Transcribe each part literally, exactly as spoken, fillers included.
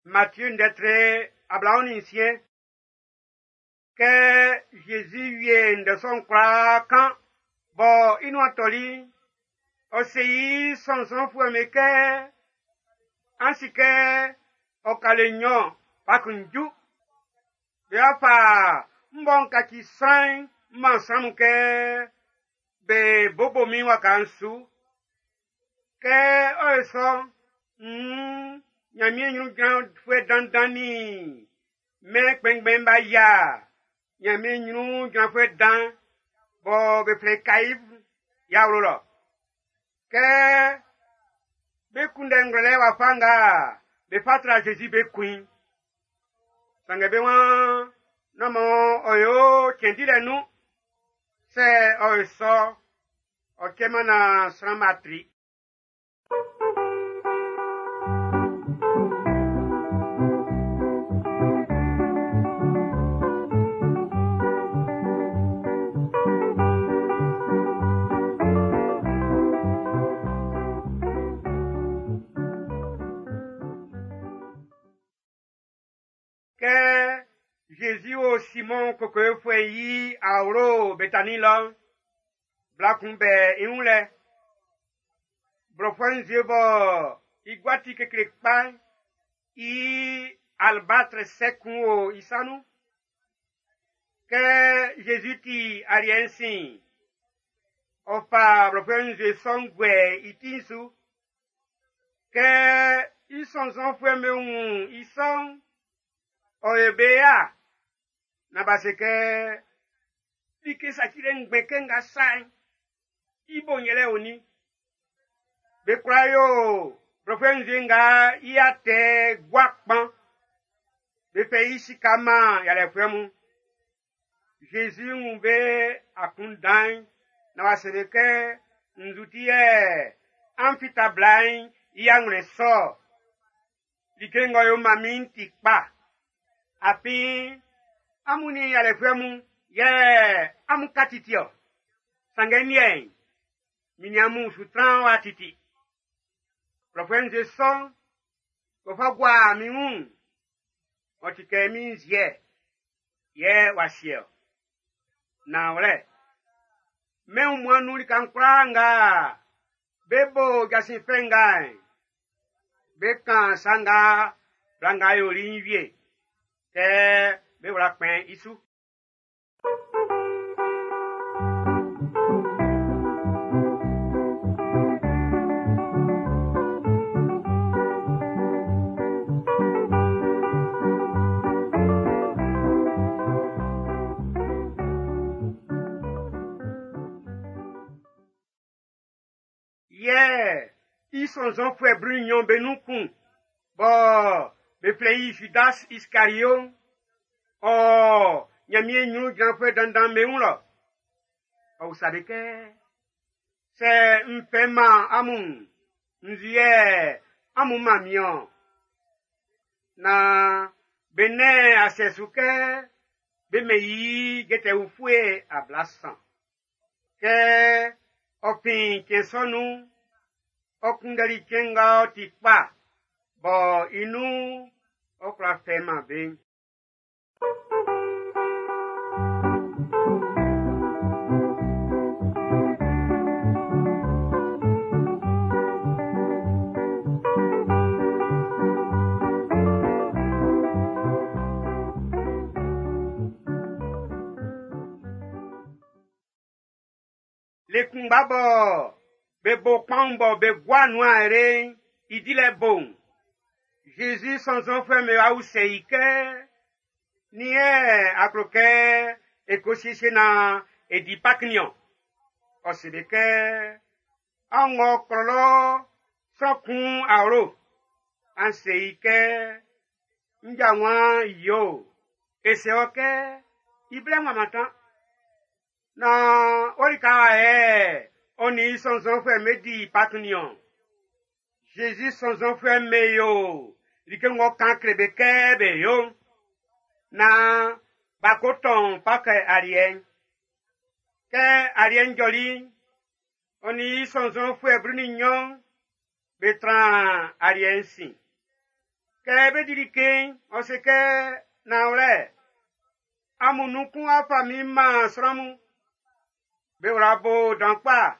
Matthieu ndɛtre ablaɔn nin nsiɛn. Kɛ Zezi wie ndɛ sɔ'n kwlaa kan bɔ i nuan tɔli'n, ɔ se i sɔnnzɔnfuɛ'm be kɛ, an si kɛ ɔ ka le nnyɔn Pak'n ju. Be wa fa m bɔ n kaci sran'n m man sran mun kɛ be bobo min waka'n su. Kɛ ɔ yo sɔ'n, nn Nyanmiɛn nyrun jranfuɛ dandan nin mɛn kpɛnngbɛn'm b'a yia Nyanmiɛn nyrun jranfuɛ dan bɔ be flɛ i Kaif i awlo lɔ. Kɛ be kunndɛ ngwlɛlɛ wafa nga be fa tra Zezi be kun i'n, sanngɛ be waan nán man ɔ yo cɛn dilɛ nun. Sɛ ɔ yo sɔ, ɔ cɛman naan sran'm b'a tri. Kɛ Zezi wo Simɔn kokowefuɛ'n i awlo Betani lɔ'n, bla kun bɛ i wun lɛ. Blɔfuɛ nzue bɔ i gua ti kekle kpa'n, i alabatre sɛ kun wo i sa nun. Kɛ Zezi ti aliɛ'n sin'n, ɔ fa blɔfuɛ nzue sɔ'n guɛ i ti'n su. Kɛ i sɔnnzɔnfuɛ'm be wun i sɔ'n, ɔ yo be ya na b'a se kɛ like sacilɛ ngbɛn kɛ nga sa'n, i bo'n yɛlɛ onin. Be kwla yo blɔfuɛ nzue nga i atɛ gua kpan. Be fɛ i sika man yalɛfuɛ mun. Zezi wun be akunndan'n na w'a se be kɛ nzu ti yɛ an fita bla'n i anwlɛn sɔ. Like ng'ɔ yo man min'n ti kpa. Afin amun nin yalɛfuɛ mun yɛ amun ka titi-ɔ. Sanngɛ n liɛ'n, min nin amun su tran wa titi. Blɔfuɛ nzue sɔ'n, b'ɔ fa gua min wun'n, ɔ ti kɛ min nziɛ yɛ w'a sie-ɔ. Nanwlɛ, mɛn wunmuan'n nun lika'n kwlaa nga be bo jasin fɛ nga'n, be kan sa nga bla nga yoli'n wie, kɛ be wla kpɛn i su. Yɛ i sɔnnzɔnfuɛ blu nnyɔn be nun kun bɔ be flɛ i Judas Iskariot, ɔ Nyanmiɛn nyrun jranfuɛ dandan be wun lɔ. Ɔ usa be kɛ, sɛ n fɛ man amun, nzu yɛ amun man min-ɔn? Na be nɛn asɛ su kɛ be mɛn i jɛtɛ ufue ablasan. Kɛ ɔ fin cɛn sɔ nun'n, ɔ kunndɛli cɛn nga ɔ ti kpa bɔ i nun ɔ kwla fɛ man be'n. Le kunngba bɔ be bo kpaun bɔ be gua nuan ere'n i dilɛ bo'n, Zezi sɔnnzɔnfuɛ'm be wa usɛ i kɛ, nin yɛ a klo kɛ e ko siesie naan e di Pak niɔn? Ɔ se be kɛ, an ng'ɔ klɔlɔ sran kun awlo, an se i kɛ, n ja wan yo, e se ɔ kɛ, i blɛ ŋua mantan. Na o lika wa yɛ ɔ nin i sɔnnzɔnfuɛ'm be di Pak niɔn. Zezi sɔnnzɔnfuɛ'm be yo like ng'ɔ kan kle be kɛ be yo. Na b'a ko tɔn Pak aliɛ'n. Kɛ aliɛ'n jɔli'n, ɔ nin i sɔnnzɔnfuɛ blu nin nnyɔn be tran aliɛ'n sin. Kɛ be di like'n, ɔ se kɛ nanwlɛ, amun nun kun w'a fa min man sran mun. Be wla bo dan kpa.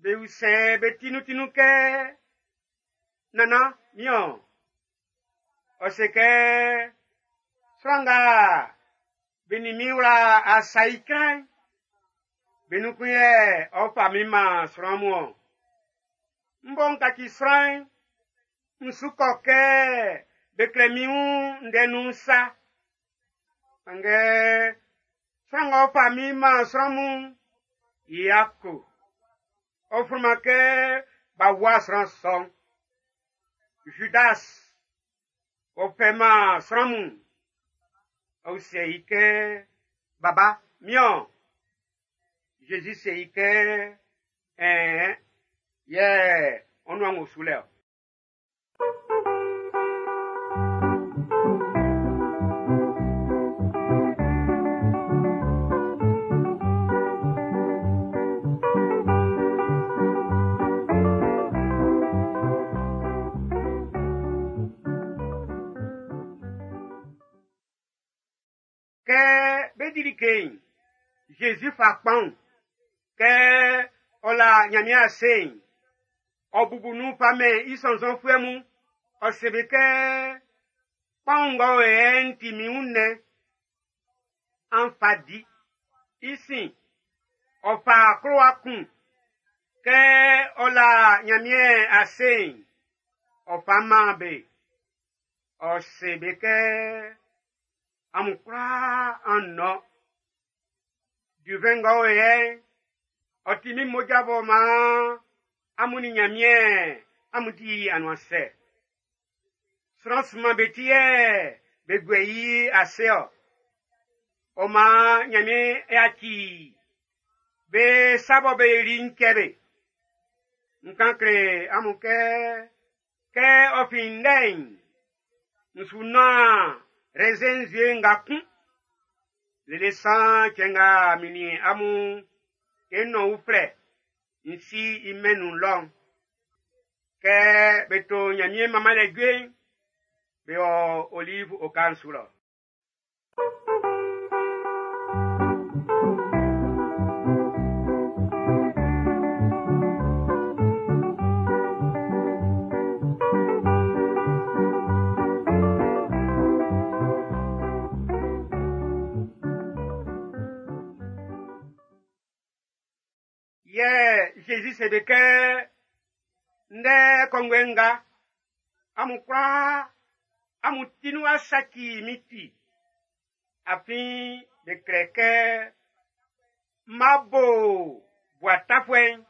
Be usɛ be tinuntinun kɛ, nannan, min-ɔn. Ɔ se kɛ, sran nga be nin min wla asa icra'n, be nun kun yɛ ɔ fa min man sran mun-ɔn. N bɔ n kaci sran'n, n su kɔ kɛ be klɛ min wun ndɛ nun sa. Sanngɛ sran ng'ɔ fa min man sran mun'n, i yako. Ɔ flunman kɛ b'a wua sran sɔ'n. Judas, ɔ fɛ man sran mun. Ɔ usɛ i kɛ, baba, min-ɔn. Jésus se i kɛ, ɛn, yɛ ɔ nuan o su lɛ ɔ. Kɛ be di like'n, Jésus fa kpaun. Kɛ ɔ la Nyanmiɛn ase'n, ɔ bubu nun fa mɛn i sɔnnzɔnfuɛ mun. Ɔ se be kɛ, kpaun nga o yɛ'n ti min wunnɛn. An fa di. I sin, ɔ fa klowa kun. Kɛ ɔ la Nyanmiɛn ase'n, ɔ fa man be. Ɔ se be kɛ, amun kwlaa an nɔn. Duvɛn nga o yɛ'n, ɔ ti min mmoja b'ɔ maan amun nin Nyanmiɛn amun di anuansɛ. Sran sunman be ti yɛ be guɛ i ase-ɔ. Ɔ maan Nyanmiɛn yaci be sa bɔ be yoli'n cɛ be. N kan kle amun kɛ, kɛ ɔ fin ndɛ'n, n su nɔn raisin nzue nga kun. Lele san cɛn nga min nin amun e nɔn uflɛ n si i mɛn nun lɔ'n. Kɛ be to Nyanmiɛn manmanlɛ jue'n, be wɔ Olive oka'n su lɔ. Yɛ Jésus se be kɛ, ndɛ kɔnguɛ nga, amun kwlaa, amun ti nun a saci min ti. Afin be klɛ kɛ, n ma bo bua tafuɛ'n,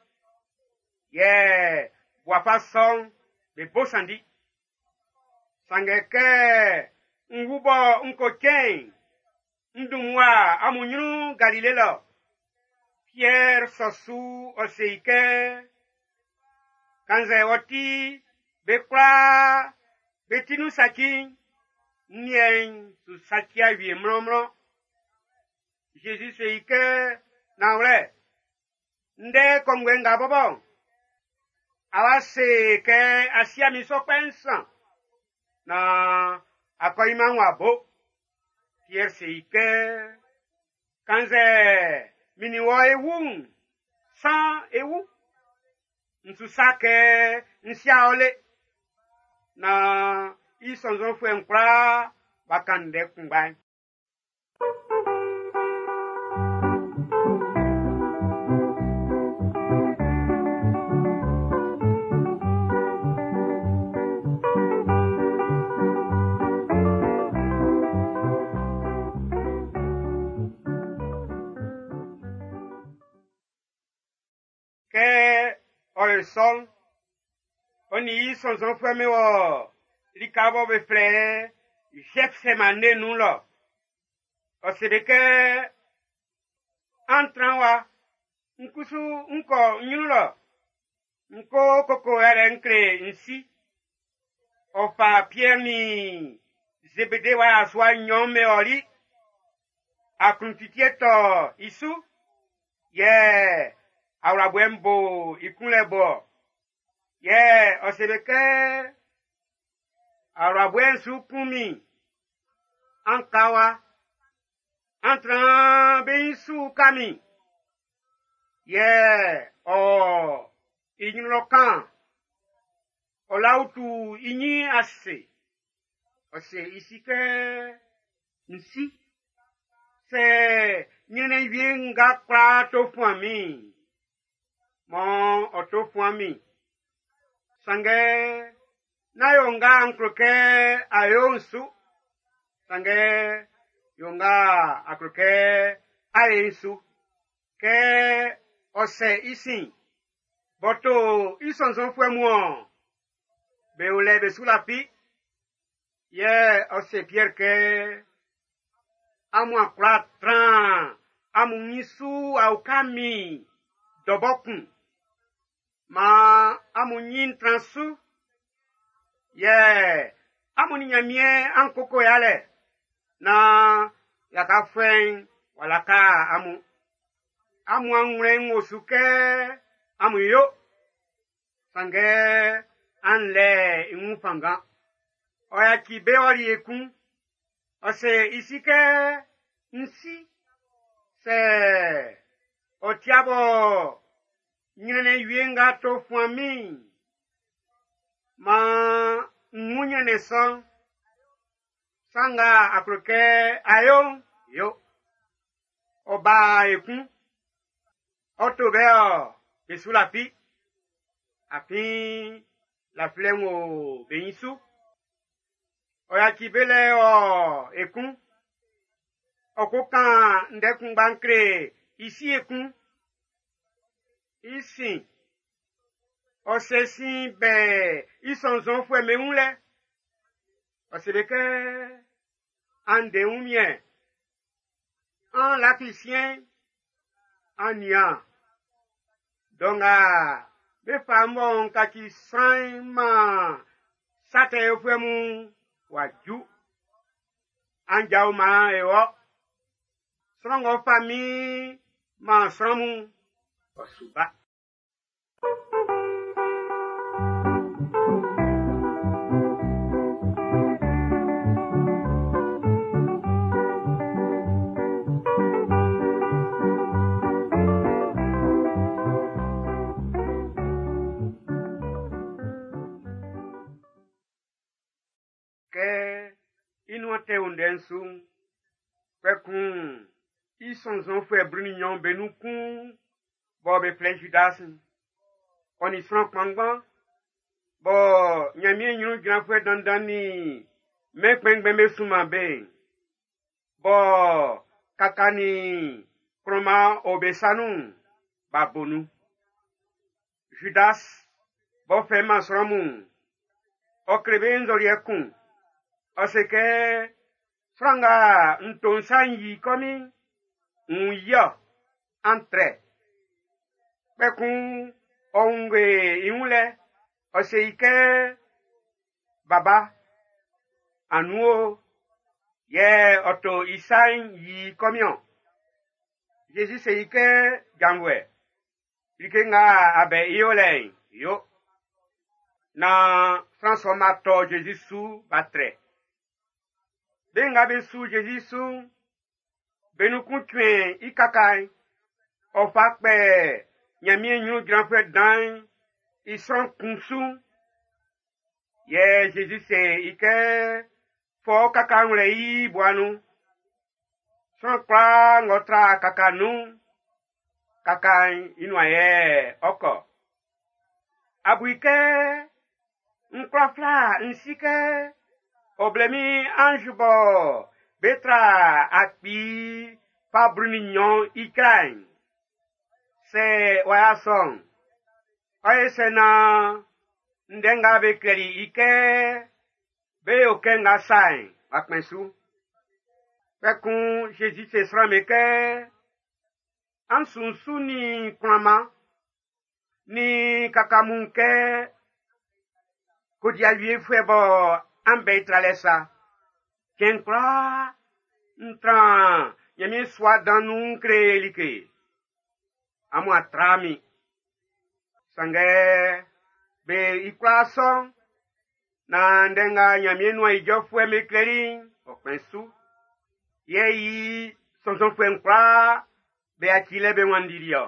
yɛ bua fa sɔ'n be bo sanndi. Sanngɛ kɛ n wu bɔ n ko cɛn'n, n dun mmua amun nyrun Galile lɔ. Pierre sɔ su ɔ se i kɛ, kannzɛ ɔ ti be kwlaa be ti nun saci'n, n liɛ'n su saci awie mlɔnmlɔn. Jésus se i kɛ, nanwlɛ, ndɛ kɔnguɛ nga bɔbɔ, a wa se kɛ a sia min sɔ kpɛ nsan, na akɔ i man wa bo. Pierre se i kɛ, kannzɛ min nin wɔ e wu'n, san e wu. N su sa kɛ n sia ɔ le. Na i sɔnnzɔnfuɛ'n kwlaa b'a kan ndɛ kunngba'n. Kɛ ɔ le sɔ'n, ɔ nin i sɔnnzɔnfuɛ'm be wɔ lika bɔ be flɛ Gethsemane nun lɔ. Ɔ se be kɛ, an tran wa, n kusu n kɔ n nyrun lɔ, n ko koko yalɛ n kle n si. Ɔ fa Pierre nin Zebede wa yasua nnyɔn be ɔli. Akluntitiɛ tɔ i su, yɛ awlaboɛ'n bo i kunlɛ bɔ. Yɛ ɔ se be kɛ, Awlabɔɛ'n su kun min. An ka wa. An tran be su ka min. Yɛ ɔ i ɲrun lɔ kan. Ɔ la utu i ɲin ase. Ɔ se i si kɛ n si. Sɛ ɲrɛnnɛn wie nga kwla to fuan min. Mɔ ɔ to fuan min. Sanngɛ nán yo nga n klo kɛ a yo'n su. Sanngɛ yo nga a klo kɛ a yo'n su. Kɛ ɔ sɛ i sin, b'ɔ to i sɔnnzɔnfuɛ mun ɔ, be o lɛ be su lafi. Yɛ ɔ se Piɛr kɛ, amun a kwla tran amun nyin su a uka min dɔ bɔ kun. Maan amun nyin tran su. Yɛ amun nin Nyanmiɛn an koko yalɛ naan lakafuɛ'n w'a laka amun. Amun anwlɛn'n wo su kɛ amun yo. Sanngɛ an lɛ i wun fanngan. Ɔ yaci be ɔli ekun. Ɔ se i si kɛ n si. Sɛ ɔ tia bɔ ɲrɛnnɛn wie nga to fuan min. Maan n wun ɲrɛnnɛn sɔ'n. Sa nga a klo kɛ a yo'n, yo. Ɔ ba ekun. Ɔ to bɛ ɔ, be su lafi. Afin lafilɛ'n wo be nyin su. Ɔ yaci be lɛ ɔ ekun. Ɔ ko kan ndɛ kunngba'n kle i si ekun. I sin, ɔ se sin bɛ i sɔnnzɔnfuɛ be wun lɛ. Ɔ se be kɛ, an de wunmiɛn, an lafi siɛn, an nian. Dɔ nga be fa mɔ n kaci sran'n man sa tɛ yofuɛ mun w'a ju. An jao maan e wɔ. Sran ng'ɔ fa min man sran mun, ɔ su ba. Kɛ i nuan tɛ o ndɛ'n su'n, kpɛkun i sɔnnzɔnfuɛ blu nin nnyɔn be nun kun bɔ be flɛ Judas'n, ɔ nin sran kpanngban bɔ Nyanmiɛn ɲrun jranfuɛ dandan nin mɛn kpɛnngbɛn be sunman be'n, bɔ kaka nin kplɔnman o be sa nun'n, b'a bo nun. Judas b'ɔ fɛ man sran mun'n, ɔ kle be nzɔliɛ kun. Ɔ se kɛ, sran nga n to n sa n yi kɔmin, n yi-ɔ, an trɛ. Kpɛkun ɔ wunnge i wun lɛ, ɔ se i kɛ, baba, anu o, yɛ ɔ to i sa'n yi kɔmin-ɔn. Jésus se i kɛ, janvuɛ, like nga a bɛ i yolɛ'n, yo. Naan sran sɔ'n b'a tɔ Jésus su b'a trɛ. Be nga be su Jésus su'n, be nun kun cuɛn i kaka'n, ɔ fa kpɛ Nyanmiɛn ɲrun jranfuɛ dan'n i sran kun su. Yɛ Jésus se i kɛ, fɔ kaka'n wlɛ i bua nun. Sran kwlaa ng'ɔ tra kaka nun'n, kaka'n i nuan yɛ ɔ kɔ. A bu i kɛ n kwla fla n si kɛ ɔ blɛ min ange bɔ be tra akpi fa blu nin nnyɔn i cla'n. Sɛ w'a sɔ'n, ɔ ye sɛ naan ndɛ nga be klɛli i kɛ be yo kɛ nga sa'n w'a kpɛn su. Kpɛkun Jésus se sran be kɛ, an sunsun nin klanman nin kaka mun kɛ kodiawiefuɛ bɔ an bɛ i tralɛ sa. Cɛn kwlaa n tran Nyanmiɛn sua dan nun n kle like. Amun a tra min. Sanngɛ be i kwlaa sɔ'n, Naan ndɛ nga Ɲanmiɛn nuan ijɔfuɛ'm be klɛli'n, ɔ kpɛn su. Yɛ i sɔnnzɔnfuɛ'n kwlaa be yacili be wanndili ɔ.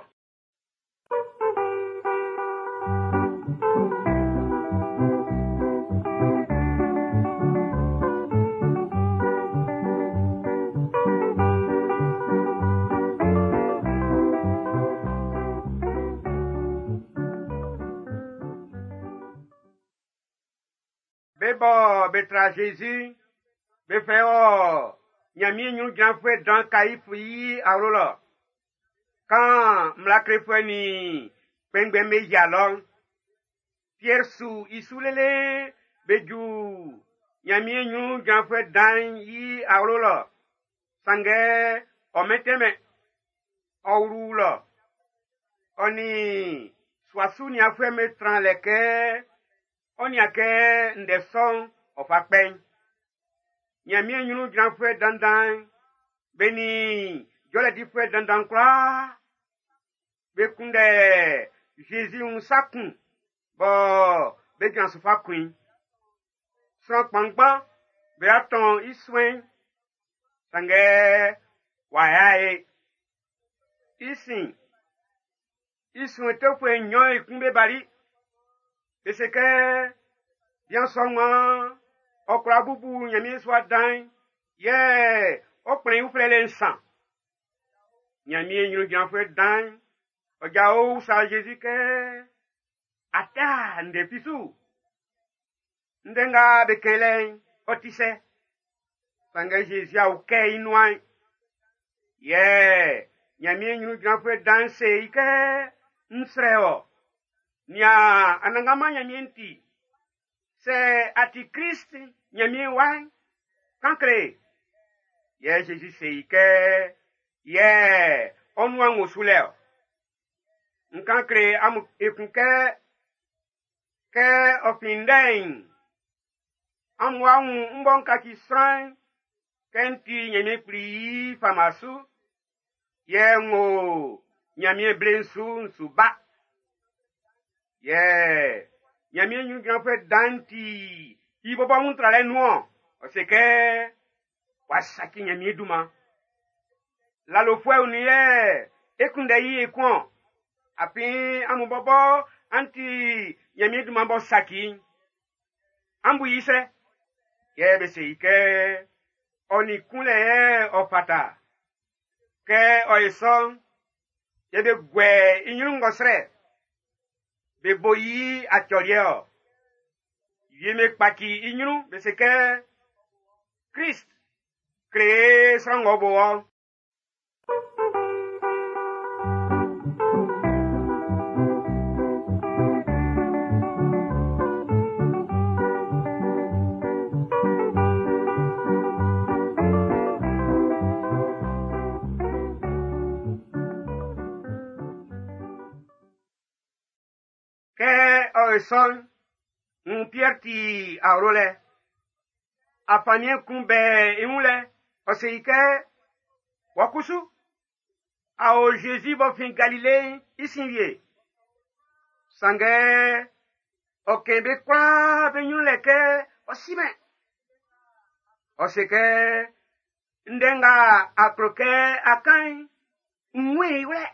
Be bɔ be tra Jésus, be fɛ wɔ Ɲanmiɛn ɲrun jranfuɛ dan Kaifu i awlo lɔ. Kan mmla klefuɛ nin kpɛnngbɛn'm be yia lɔ'n, Piɛr su i su lele be ju Ɲanmiɛn ɲrun jranfuɛ dan'n i awlo lɔ. Sanngɛ ɔ mɛntɛnmɛn, ɔ wlu lɔ. Ɔ nin sua su nianfuɛ'm be tran lɛ kɛ ɔ nian kɛ ndɛ sɔ'n ɔ fa kpɛn. Ɲanmiɛn ɲrun jranfuɛ dandan'n, be nin jɔlɛ difuɛ dandan kwlaa be kunndɛ Jésus wun sa kun bɔ be jran su fa kun i. Sran kpanngban be atɔn i suɛn, sanngɛ w'a ya e. I sin, i suɛn tɛfuɛ nnyɔn ekun be bali. Be se kɛ bian sɔ'n waan ɔ kwla bubu Ɲanmiɛn sua dan'n, yɛ ɔ kplɛn i uflɛ le nsan. Ɲanmiɛn ɲrun jranfuɛ dan'n, ɔ jao usa Jésus kɛ, a tɛ ndɛ fi su? Ndɛ nga be kɛn lɛ'n, ɔ ti sɛ? Sanngɛ Jésus a ukɛ i nuan. Yɛ Ɲanmiɛn ɲrun jranfuɛ dan'n se i kɛ, n srɛ wɔ, nian Anannganman Ɲanmiɛn ti. Sɛ a ti Krist Ɲanmiɛn wa'n, kan kle. Yɛ Jésus se i kɛ, yɛ ɔ nuan wo su lɛ ɔ. N kan kle amun ekun kɛ, kɛ ɔ fin ndɛ'n, amun wa wun m bɔ n kaci sran'n, kɛ n ti Ɲanmiɛn Kpli i fama su, yɛ n wo Ɲanmiɛn ble'n su n su ba. Yɛ Ɲanmiɛn ɲrun jranfuɛ dan'n ti i bɔbɔ wun tralɛ nun-ɔn. Ɔ se kɛ w'a saci Ɲanmiɛn dunman. Lalofuɛ'n nin yɛ e kunndɛ i ekun-ɔn. Afin amun bɔbɔ an ti Ɲanmiɛn dunman b'ɔ saci'n. An bu i sɛ? Yɛ be se i kɛ ɔ nin kunlɛ yɛ ɔ fata. Kɛ ɔ ye sɔ'n, yɛ be guɛ i ɲrun ngɔsrɛ. Be bo i acɔliɛ ɔ. Wie me kpaci i ɲrun, be se kɛ Krist kle sran ng'ɔ bo ɔ. Kɛ ɔ ye sɔ'n, ń Piɛr ti awlo lɛ. Afanniɛn kun bɛ i wun lɛ, ɔ se i kɛ, wɔ kusu, a o Jésus b'ɔ fin Galile'n i sin wie. Sanngɛ ɔ kɛn be kwlaa be ɲrun lɛ kɛ ɔ simɛn. Ɔ se kɛ, ndɛ nga a klo kɛ a kan'n, n wun i wlɛ.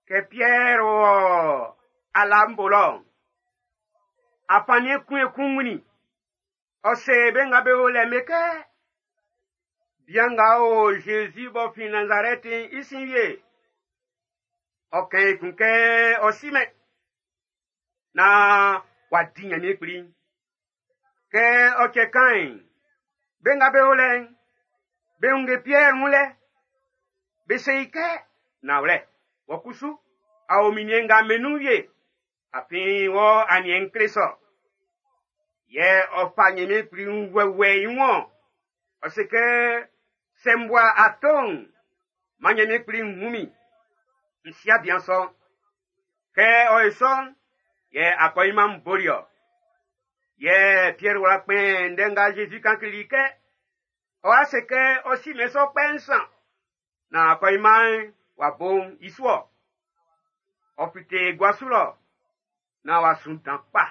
Kɛ Piɛr wɔ ala'n bo lɔ'n, afanniɛn kun ekun wunnin. Ɔ se be nga be o lɛ'n be kɛ, bian nga o Jésus b'ɔ fin Nazarɛti'n i sin wie. Ɔ kɛn ekun kɛ ɔ simɛn naan w'a di Ɲanmiɛn Kpli'n. Kɛ ɔ cɛ kan'n, be nga be o lɛ'n, be wunge Piɛr wun lɛ. Be se i kɛ, nanwlɛ, wɔ kusu, a o minniɛn nga be nun wie. Afin wɔ aniɛn'n kle sɔ. Yɛ ɔ fa Ɲanmiɛn Kpli wɛwɛ i wun. Ɔ se kɛ, sɛ n bua ato'n, man Ɲanmiɛn Kpli wun min. N sia bian sɔ'n. Kɛ ɔ ye sɔ'n, yɛ akɔɲinman'n boli ɔ. Yɛ Piɛr wla kpɛn ndɛ nga Jésus kan kleli kɛ, ɔ wa se kɛ ɔ si mɛn sɔ kpɛ nsan, na akɔɲinman'n w'a bo i su ɔ. Ɔ fite gua su lɔ, na w'a sun dan kpa.